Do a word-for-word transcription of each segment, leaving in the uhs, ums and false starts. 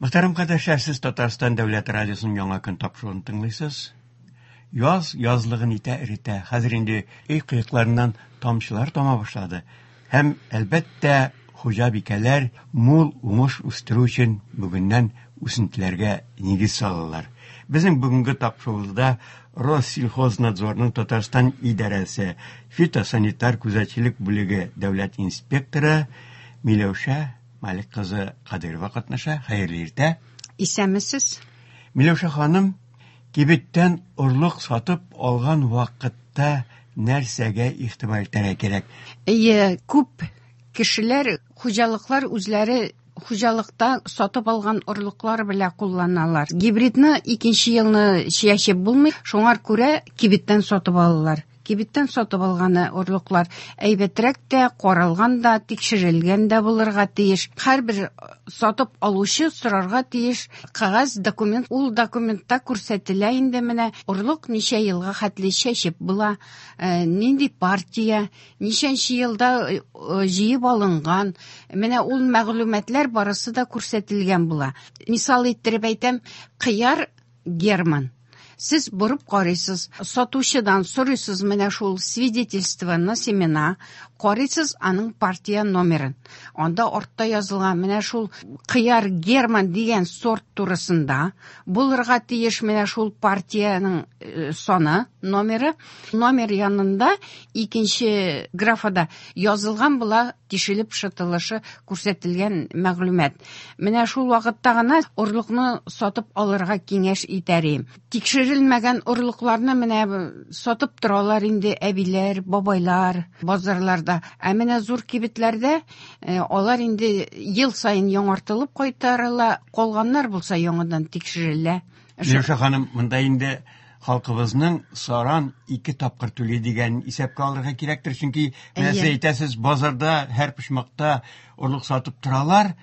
Мөхтәрәм кардәшләр, сез Татарстан Дәүләт радиосының Яңа көн тапшыруын тыңлыйсыз. Яз язлыгын итә эретә. Хәзер инде өй кыекларыннан тамчылар тама башлады. Һәм, әлбәттә, хуҗабикәләр мул уңыш үстерү өчен бүгеннән үсентеләргә нигез салалар. Безнең бүгенге тапшыруыбызда Россельхознадзорның Татарстан идарәсе фитосанитар күзәтчелек бүлеге дәүләт инспекторы Миләүшә Малик кызы Кадырова катнаша. Хәерле иртә. Исәнмесез. Миләүшә ханым, кибеттән орлык сатып алган вакытта нәрсәгә игътибар итәргә кирәк? Әйе, күп кешеләр, хуҗалыклар үзләре хуҗалыкта сатып алган орлыклар белән кулланалар. Гибридны икенче елны чәчеп булмый, шуңар күрә кибеттән сатып алалар. Кибеттән сатып алганы орлыклар әйбәтрәк тә, каралган да, тикшерелгән дә булырга тиеш. Һәрбер сатып алучы сорарга тиеш кәгазь документ, ул документта күрсәтелә инде менә орлык ничә елга хәтле чәчеп була, э, нинди партия, ничәнче елда, э, җыеп алынган. Менә ул мәгълүматлар барысы да күрсәтелгән була. Мисал иттереп әйтәм, кыяр Герман. Сез борып карыйсыз, сатучыдан сорыйсыз менә шул свидетельство на семена, карыйсыз аның партия номерын. Анда артта язылган менә шул кыяр Герман дигән сорт турысында булырга тиеш менә шул партиянең, э, саны, номеры. Номер янында икенче графада язылган була тишелеп шытылышы күрсәтелгән мәгълүмат. Менә шул вакытта гына орлыкны сатып алырга киңәш итәр идем. Тикшерелмәгән орлыкларны менә сатып торалар инде әбиләр, бабайлар базарларда. Ә менә зур кибетләрдә, э, алар инде ел саен яңартылып кайтарыла, калганнар булса яңадан тикшерелә. Миләүшә ханым, монда инде халкыбызның саран ике тапкыр түли дигән исәпкә алырга кирәктер, чөнки менә сез Әйе. әйтәсез, базарда һәр почмакта орлык сатып торалар,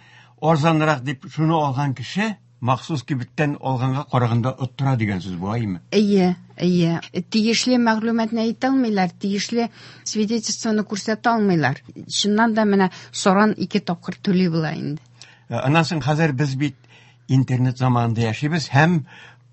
арзанрак дип шуны алган кеше махсус кибеттән алганга караганда оттыра дигән сүз бу, әйеме? Әйе, әйе. Тиешле мәгълүматны әйтә алмыйлар, тиешле свидетельствоны күрсәтә алмыйлар. Чыннан да менә саран ике тапкыр түли була инде. Э, аннан соң хәзер без бит интернет заманында яшибез һәм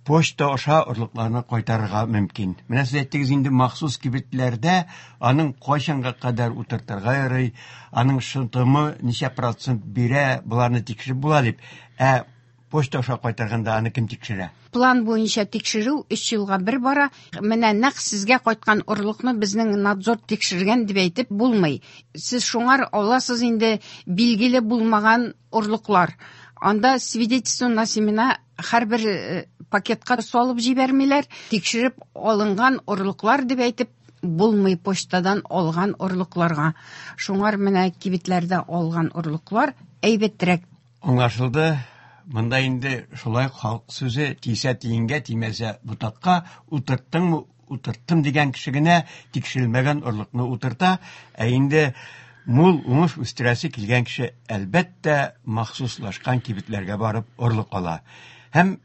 почта аша орлыкларны кайтарырга мөмкин. Менә сез әйттегез инде махсус кибетләрдә аның кайчанга кадәр утыртырга ярый, аның шытымы ничә процент бирә, боларны тикшереп була дип. Ә почта аша кайтарганда аны кем тикшерә? План буенча тикшерү өч елга бер бара. Менә нәкъ сезгә кайткан орлыкны безнең надзор тикшергән дип әйтеп булмый. Сез шуңар аласыз инде билгеле булмаган орлыклар. Анда свидетельство на семена һәрбер, э, пакетка салып җибәрмиләр. Тикшереп алынган орлыклар дип әйтеп булмый почтадан алган орлыкларга. Шуңар менә кибетләрдә алган орлыклар әйбәтрәк. Аңлашылды. Монда инде шулай халык сүзе тисә тиенгә, тимәсә ботакка, утырттыңмы, утырттым дигән кеше генә тикшерелмәгән орлыкны утырта, ә инде мул уңыш үстерәсе килгән кеше әлбәттә махсуслашкан кибетләргә барып орлык ала. Һәм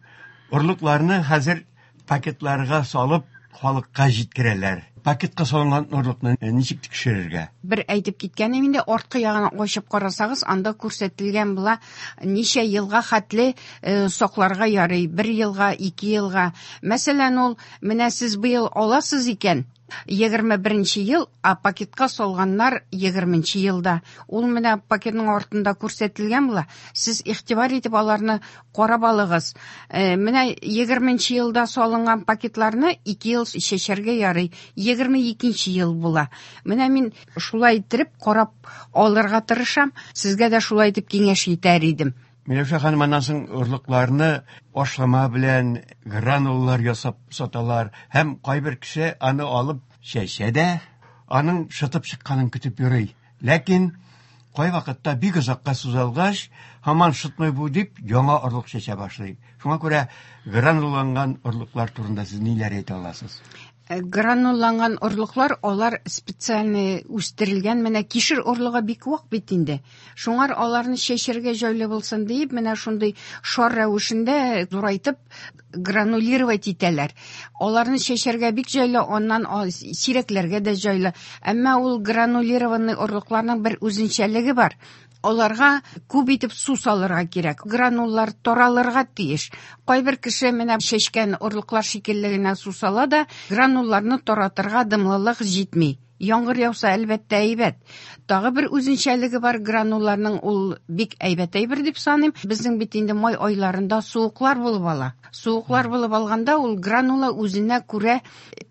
орлыкларны хәзер пакетларга салып халыкка җиткерәләр. Пакетка салынган орлыкны ничек тикшерергә? Бер әйтеп киткәнем инде, арткы ягын ачып карасагыз, анда күрсәтелгән була ничә елга хәтле, э, сакларга ярый, бер елга, ике елга. Мәсәлән, ул менә сез быел аласыз икән, егерме беренче ел, а пакетка салганнар егерменче елда. Ул менә пакетның артында күрсәтелгән була. Сез игътибар итеп аларны карап алыгыз. Э, менә егерменче елда салынган пакетларны ике ел чәчәргә ярый. Егерме икенче ел була. Менә мин шулай иттереп карап алырга тырышам. Сезгә дә шулай итеп киңәш итәр идем. Миләүшә ханым, аннан соң орлыкларны ашлама белән гранулалар ясап саталар. Һәм кайбер кеше аны алып чәчә дә, аның шытып чыкканын көтеп йөри. Ләкин кайвакытта бик озакка сузылгач, һаман шытмый бу дип яңа орлык чәчә башлый. Шуңа күрә гранулланган орлыклар турында сез ниләр әйтә аласыз? Э, гранулланган орлыклар, алар специально үстерелгән. Менә кишер орлыгы бик вак бит инде. Шуңар аларны чәчәргә җайлы булсын диеп, менә шундый шар рәвешендә зурайтып гранулировать итәләр. Аларны чәчәргә бик җайлы, аннан а-, сирәкләргә дә җайлы. Әмма ул гранулированный орлыкларның бер үзенчәлеге бар. Аларга күп итеп су салырга кирәк. Грануллар таралырга тиеш. Кайбер кеше менә чәчкән орлыклар шикелле генә су сала да, гранулларны таратырга дымлылык җитми. Яңгыр яуса, әлбәттә, әйбәт. Тагы бер үзенчәлеге бар гранулларның, ул бик әйбәт әйбер дип саныйм. Безнең бит инде май айларында суыклар булып ала. Суыклар булып алганда ул гранула үзенә күрә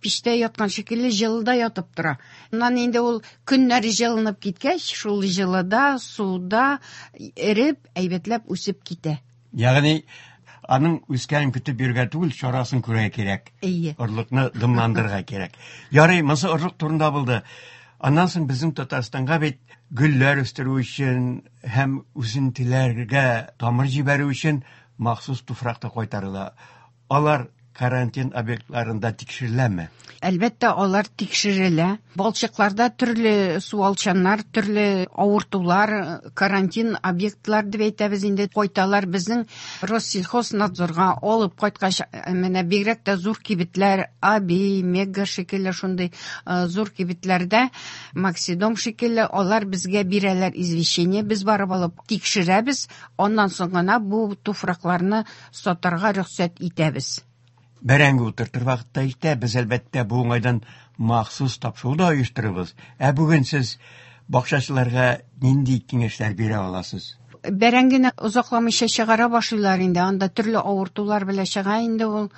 пичтә яткан шикелле җылыда ятып тора. Аннан инде ул көннәр җылынып киткәч, шул җылыда, суда эреп, әйбәтләп үсеп китә. Ягъни аның үскәнен көтеп йөрергә түгел, чарасын күрергә кирәк. Әйе. Орлыкны дымландырырга кирәк. Ярый, монысы орлык турында булды. Аннан соң безнең Татарстанга бит гөлләр үстерү өчен һәм үсентеләргә тамыр җибәрү өчен махсус туфрак та кайтарыла. Алар карантин объектларында тикшереләме? Әлбәттә, алар тикшерелә. Балчыкларда төрле суалчаннар, төрле авыртулар, карантин объектлар дип әйтәбез инде, кайталар безнең Россельхознадзорга алып кайткач, менә бигрәк тә зур кибетләр, Аби, Мега шикелле шундый, э, зур кибетләрдә, Максидом шикелле, алар безгә бирәләр извещение, без барып алып тикшерәбез, аннан соң гына бу туфракларны сатарга рөхсәт итәбез. Бәрәңге утыртыр вакытта җитә, без әлбәттә бу уңайдан махсус тапшыру да оештырабыз. Ә бүген сез бакчачыларга нинди киңәшләр бирә аласыз? Бәрәңгене озакламыйча чыгара башлыйлар инде, анда төрле авыртулар белән чыга инде ул.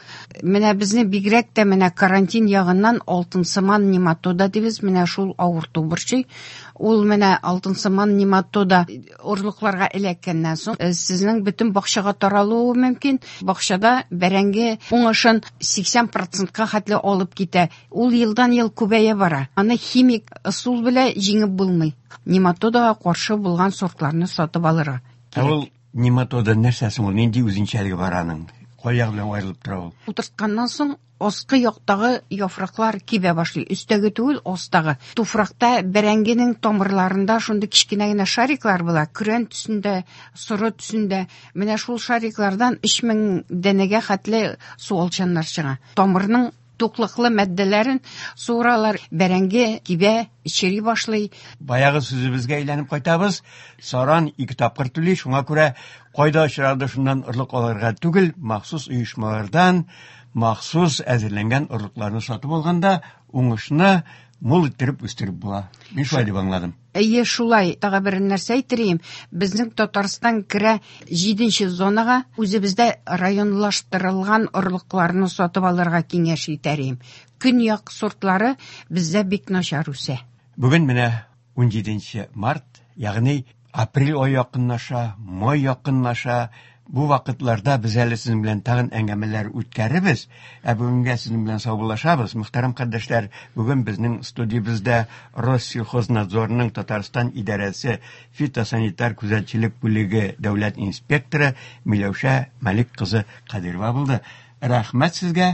Менә безне бигрәк тә менә карантин ягыннан алтынсыман нематода дибез, менә шул авырту борчый. Ул менә алтынсыман нематода орлыкларга эләккәннән соң, э, сезнең бөтен бакчага таралуы мөмкин. Бакчада бәрәңге уңышын сиксән процентка хәтле алып китә. Ул елдан-ел күбәя бара. Аны химик ысул белән җиңеп булмый. Нематодага каршы булган сортларны сатып алырга Ә ул нематода нәрсә соң ул? Нинди үзенчәлеге бар аның? Кай ягы белән аерылып тора ул? Утыртканнан соң аскы яктагы яфраклар кибә башлый. Өстәге түгел, астагы. Туфракта бәрәңгенең тамырларында шундый кечкенә генә шариклар була. Көрән төсендә, соры төсендә. Менә шул шариклардан өч мең данәгә хәтле суалчаннар чыга. Тамырның туклыклы матдәләрен суыралар, бәрәңге кибә, чери башлый. Баягы сүзебезгә әйләнеп кайтабыз. Саран ике тапкыр түли, шуңа күрә кайда очрады шуннан орлык алырга түгел, махсус оешмалардан махсус әзерләнгән орлыкларны сатып алганда уңышны мул иттереп үстереп була. Мин шулай дип аңладым. Әйе, шулай. Тагы бер нәрсә әйтерим. Безнең Татарстан керә җиденче зонага. Үзебездә районлаштырылган орлыкларны сатып алырга киңәш итәрим. Көньяк сортлары бездә бик начар үсә. Бүген менә унҗиденче март, ягъни апрель ае якынлаша, май якынлаша. Бу вакытларда без әле сезнең белән тагын әңгәмәләр үткәрербез. Ә бүгенгә сезнең белән саубуллашабыз. Мөхтәрәм кардәшләр, бүген безнең студиябездә Россельхознадзорның Татарстан идарәсе фитосанитар күзәтчелек бүлеге дәүләт инспекторы Миләүшә Мәлик кызы Кадирова булды. Рәхмәт сезгә.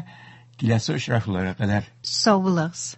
Киләсе очрашуларга кадәр. Сау булыгыз.